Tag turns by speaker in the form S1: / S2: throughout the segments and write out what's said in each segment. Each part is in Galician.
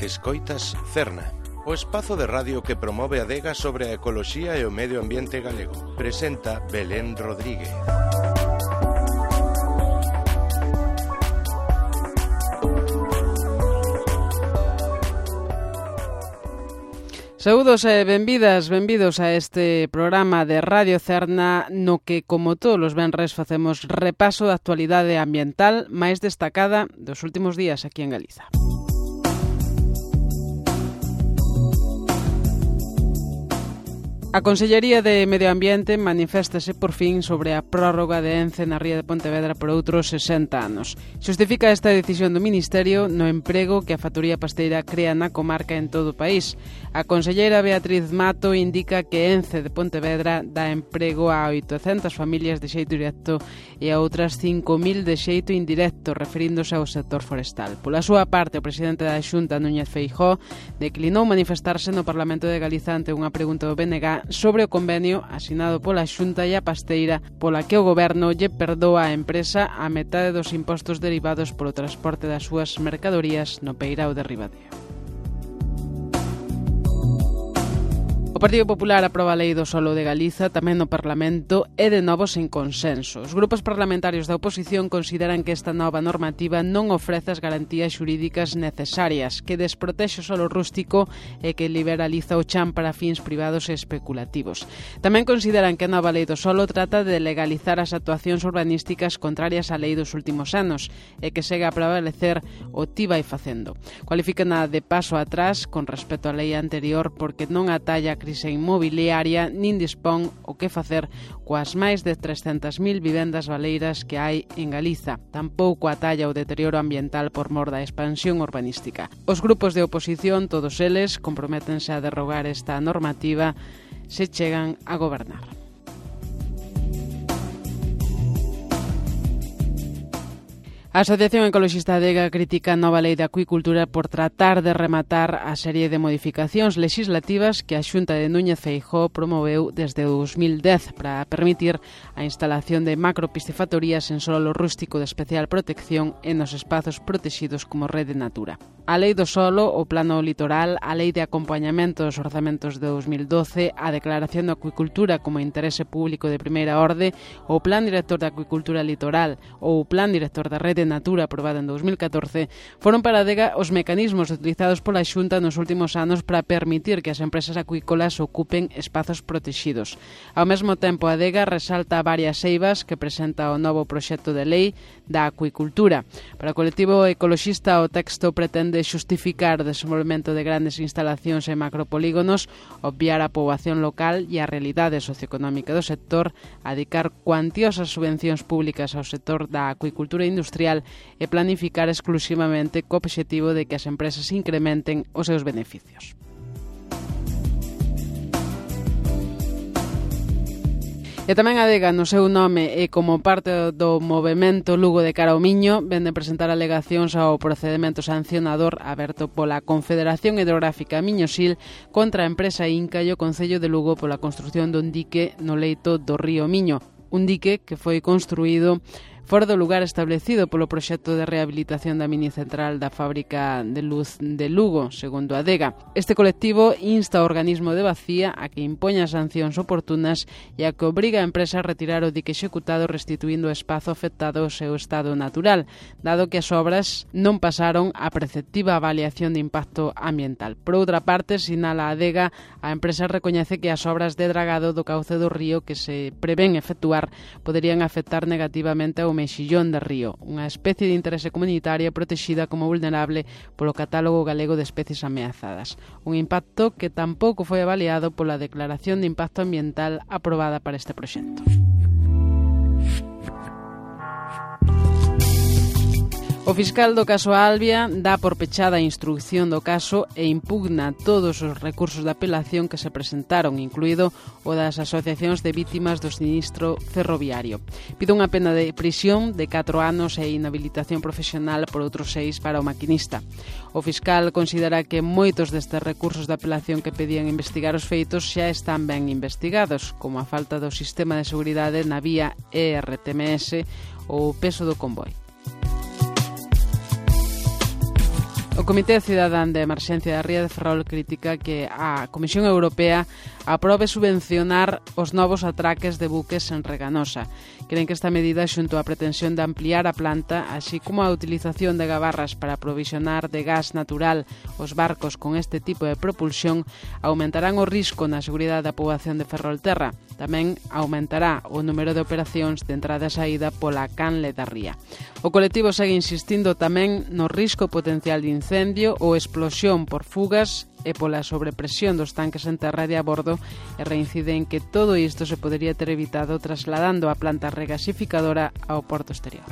S1: Escoitas Cerna, o espazo de radio que promove a adega sobre a ecoloxía e o medio ambiente galego. Presenta Belén Rodríguez.
S2: Saúdos e benvidos a este programa de Radio Cerna no que, como todos os venres, facemos repaso da actualidade ambiental máis destacada dos últimos días aquí en Galiza. A Consellería de Medio Ambiente maniféstase por fin sobre a prórroga de Ence na ría de Pontevedra por outros 60 anos. Xustifica esta decisión do Ministerio no emprego que a factoría pasteira crea na comarca en todo o país. A conselleira Beatriz Mato indica que Ence de Pontevedra dá emprego a 800 familias de xeito directo e a outras 5.000 de xeito indirecto, referíndose ao sector forestal. Pola súa parte, o presidente da Xunta, Núñez Feijóo, declinou manifestarse no Parlamento de Galiza ante unha pregunta do BNG sobre o convenio asinado pola Xunta e a pasteira pola que o Goberno lle perdoa á empresa a metade dos impostos derivados polo transporte das súas mercadorías no peirao de Ribadeo. O Partido Popular aproba a Lei do Solo de Galiza tamén no Parlamento e de novo sen consenso. Os grupos parlamentarios da oposición consideran que esta nova normativa non ofrece as garantías xurídicas necesarias, que desprotexe o solo rústico e que liberaliza o chan para fins privados e especulativos. Tamén consideran que a nova Lei do Solo trata de legalizar as actuacións urbanísticas contrarias á lei dos últimos anos e que segue a prevalecer o ti vai facendo. Cualifican a de paso atrás con respecto á lei anterior porque non atalla a crise inmobiliaria nin dispón o que facer coas máis de 300.000 vivendas baleiras que hai en Galiza. Tampouco atalla o deterioro ambiental por mor da expansión urbanística. Os grupos de oposición, todos eles, comprométense a derrogar esta normativa se chegan a gobernar. A Asociación Ecoloxista Adega critica a nova lei de acuicultura por tratar de rematar a serie de modificacións legislativas que a Xunta de Núñez Feijóo promoveu desde 2010 para permitir a instalación de macropiscifactorías en solo rústico de especial protección e nos espazos protegidos como Rede Natura. A Lei do Solo, o Plano Litoral, a Lei de Acompañamento dos Orzamentos de 2012, a Declaración de Acuicultura como Interese Público de Primeira Orde, o Plan Director de Acuicultura Litoral ou o Plan Director da Rede Natura aprobada en 2014, foron para a adega os mecanismos utilizados pola Xunta nos últimos anos para permitir que as empresas acuícolas ocupen espazos protegidos. Ao mesmo tempo, a adega resalta varias eivas que presenta o novo proxecto de lei da acuicultura. Para o colectivo ecoloxista, o texto pretende xustificar o desenvolvemento de grandes instalacións e macropolígonos, obviar a poboación local e a realidade socioeconómica do sector, adicar cuantiosas subvencións públicas ao sector da acuicultura industrial e planificar exclusivamente co obxectivo de que as empresas incrementen os seus beneficios. E tamén a adega, no seu nome e como parte do movemento Lugo de cara ao Miño, vende presentar alegacións ao procedemento sancionador aberto pola Confederación Hidrográfica Miñosil contra a empresa Inca e o Concello de Lugo pola construción dun dique no leito do río Miño. Un dique que foi construído fora do lugar establecido polo proxecto de rehabilitación da minicentral da fábrica de luz de Lugo, segundo a adega. Este colectivo insta ao organismo de Bacía a que impoña sancións oportunas e a que obriga a empresa a retirar o dique executado restituindo o espazo afectado ao seu estado natural, dado que as obras non pasaron a preceptiva avaliación de impacto ambiental. Por outra parte, sinala a adega, a empresa recoñece que as obras de dragado do cauce do río que se prevén efectuar poderían afectar negativamente ao mexillón de río, unha especie de interese comunitaria protexida como vulnerable polo Catálogo Galego de Especies Ameazadas. Un impacto que tampouco foi avaliado pola Declaración de Impacto Ambiental aprobada para este proxecto. O fiscal do caso Albia dá por pechada a instrucción do caso e impugna todos os recursos de apelación que se presentaron, incluído o das asociacións de vítimas do sinistro ferroviario. Pide unha pena de prisión de 4 anos e inhabilitación profesional por outros 6 para o maquinista. O fiscal considera que moitos destes recursos de apelación que pedían investigar os feitos xa están ben investigados, como a falta do sistema de seguridade na vía ERTMS ou o peso do convoi. O O Comité Cidadán de Emerxencia da Ría de Ferrol critica que a Comisión Europea aprobe subvencionar os novos atraques de buques en Reganosa. Creen que esta medida, xunto á pretensión de ampliar a planta, así como a utilización de gabarras para aprovisionar de gas natural os barcos con este tipo de propulsión, aumentarán o risco na seguridade da poboación de Ferrolterra. Tamén aumentará o número de operacións de entrada e saída pola canle da ría. O colectivo segue insistindo tamén no risco potencial de incendio ou explosión por fugas e pola sobrepresión dos tanques en terra de a bordo, e reincide en que todo isto se podería ter evitado trasladando a planta regasificadora ao porto exterior.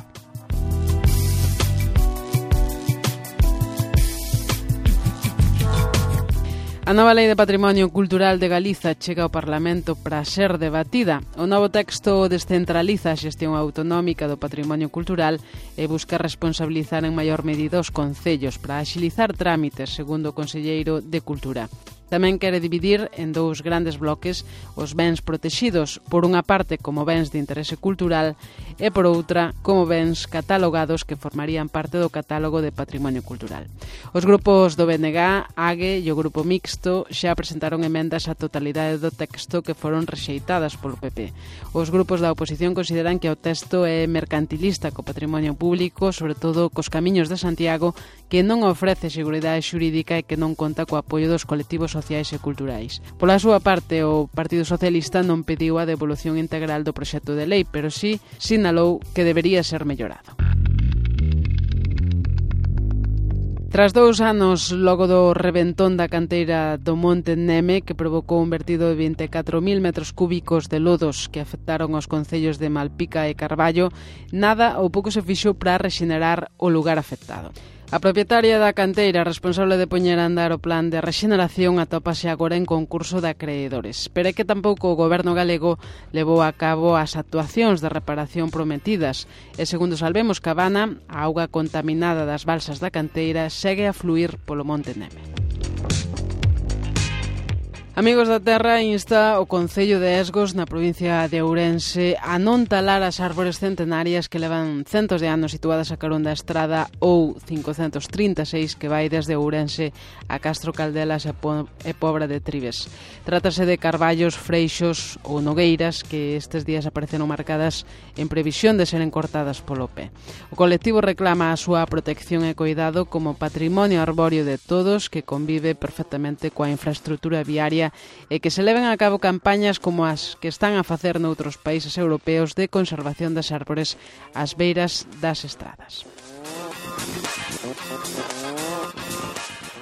S2: A nova Lei de Patrimonio Cultural de Galiza chega ao Parlamento para ser debatida. O novo texto descentraliza a xestión autonómica do patrimonio cultural e busca responsabilizar en maior medida os concellos para axilizar trámites, segundo o conselleiro de Cultura. Tamén quere dividir en dous grandes bloques os bens protexidos, por unha parte como bens de interese cultural e por outra como bens catalogados que formarían parte do catálogo de patrimonio cultural. Os grupos do BNG, AGE e o Grupo Mixto xa presentaron emendas á totalidade do texto que foron rexeitadas polo PP. Os grupos da oposición consideran que o texto é mercantilista co patrimonio público, sobre todo cos camiños de Santiago, que non ofrece seguridade xurídica e que non conta co apoio dos colectivos sociais e culturais. Pola súa parte, o Partido Socialista non pediu a devolución integral do proxecto de lei, pero sí sinalou que debería ser mellorado. Tras 2 anos logo do reventón da canteira do Monte Neme, que provocou un vertido de 24.000 metros cúbicos de lodos que afectaron os concellos de Malpica e Carballo, nada ou pouco se fixo para rexenerar o lugar afectado. A propietaria da canteira responsable de poñer a andar o plan de rexeneración atópase agora en concurso de acreedores. Pero é que tampouco o goberno galego levou a cabo as actuacións de reparación prometidas e, segundo Salvemos Cabana, a auga contaminada das balsas da canteira segue a fluir polo Monte Neme. Amigos da Terra insta o Concello de Esgos na provincia de Ourense a non talar as árbores centenarias que levan centos de anos situadas a carón da estrada ou 536 que vai desde Ourense a Castro Caldelas e Pobra de Trives. Trátase de carballos, freixos ou nogueiras que estes días apareceron marcadas en previsión de seren cortadas polo pé. O colectivo reclama a súa protección e cuidado como patrimonio arbóreo de todos que convive perfectamente coa infraestrutura viaria e que se leven a cabo campañas como as que están a facer noutros países europeos de conservación das árbores ás beiras das estradas.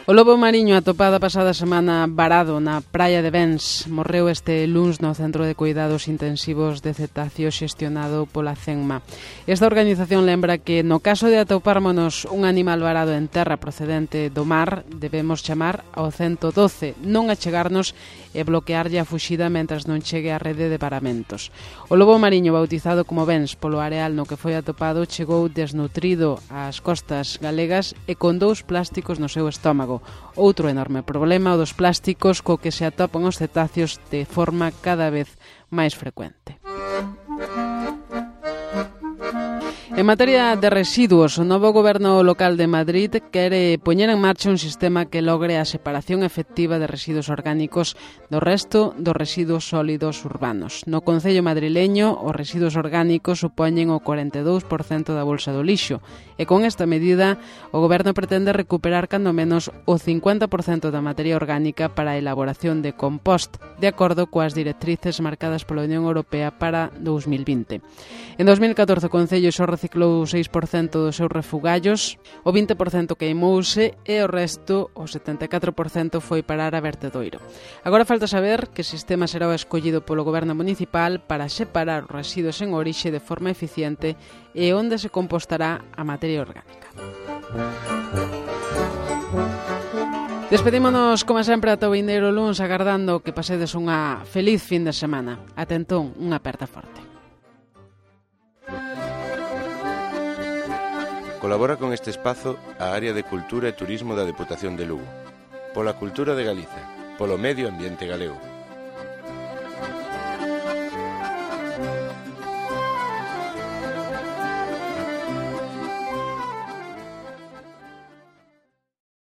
S2: O lobo mariño atopado a pasada semana varado na praia de Bens morreu este luns no Centro de Cuidados Intensivos de Cetáceo xestionado pola CENMA. Esta organización lembra que no caso de atopármonos un animal varado en terra procedente do mar, debemos chamar ao 112, non achegarnos e bloquearlle a fuxida mentras non chegue a rede de paramentos. O lobo mariño bautizado como Bens polo areal no que foi atopado chegou desnutrido ás costas galegas e con 2 plásticos no seu estómago. Outro enorme problema o dos plásticos co que se atopan os cetáceos de forma cada vez máis frecuente. En materia de residuos, o novo goberno local de Madrid quere poñer en marcha un sistema que logre a separación efectiva de residuos orgánicos do resto dos residuos sólidos urbanos. No concello madrileño, os residuos orgánicos supoñen o 42% da bolsa do lixo e con esta medida o goberno pretende recuperar cando menos o 50% da materia orgánica para a elaboración de compost, de acordo coas directrices marcadas pola Unión Europea para 2020. En 2014 o concello só reciclou o 6% dos seus refugallos, o 20% queimouse e o resto, o 74%, foi parar a vertedoiro. Agora falta saber que sistema será o escollido polo goberno municipal para separar os residuos en orixe de forma eficiente e onde se compostará a materia orgánica. Despedímonos, como sempre, ata o vindeiro luns, agardando que pasedes unha feliz fin de semana. Ata entón, unha aperta forte.
S1: Colabora con este espazo a Área de Cultura e Turismo da Deputación de Lugo, pola cultura de Galiza, polo medio ambiente galego.